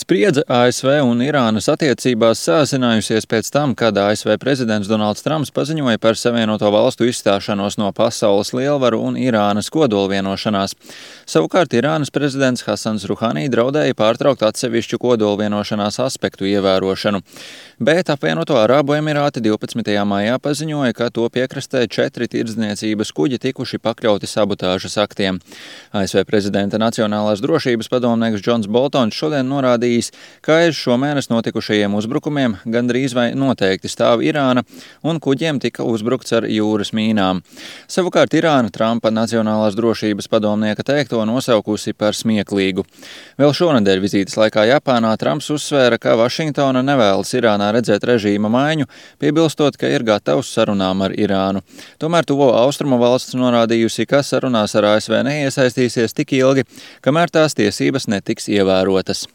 Spriedze ASV un Irānas attiecībās sāsinājusies pēc tam, kad ASV prezidents Donalds Trumps paziņoja par Savienoto Valstu izstāšanos no pasaules lielvaru un Irānas kodolvienošanās. Savukārt Irānas prezidents Hasans Ruhani draudēja pārtraukt atsevišķu kodolvienošanās aspektu ievērošanu. Bet apvienoto Arābu Emirāti 12. maijā paziņoja, ka to piekrastē 4 tirdzniecības kuģi tikuši pakļauti sabotāžas aktiem. ASV prezidenta Nacionālās drošības padomnieks Džons Boltons šodien norādījis, ka aiz šomēnes notikušajiem uzbrukumiem gandrīz vai noteikti stāv Irāna un kuģiem tika uzbrukts ar jūras mīnām. Savukārt Irāna Trumpa Nacionālās drošības padomnieka teikto nosaukusi par smieklīgu. Vēl šonedēļ vizītes laikā Japānā Trumps uzsvēra, ka Vašingtona nevēlas Irānā redzēt režīma maiņu, piebilstot, ka ir gatavs sarunām ar Irānu. Tomēr tuvo austrumu valsts norādījusi, ka sarunās ar ASV neiesaistīsies tik ilgi, kamēr tās tiesības netiks ievērotas.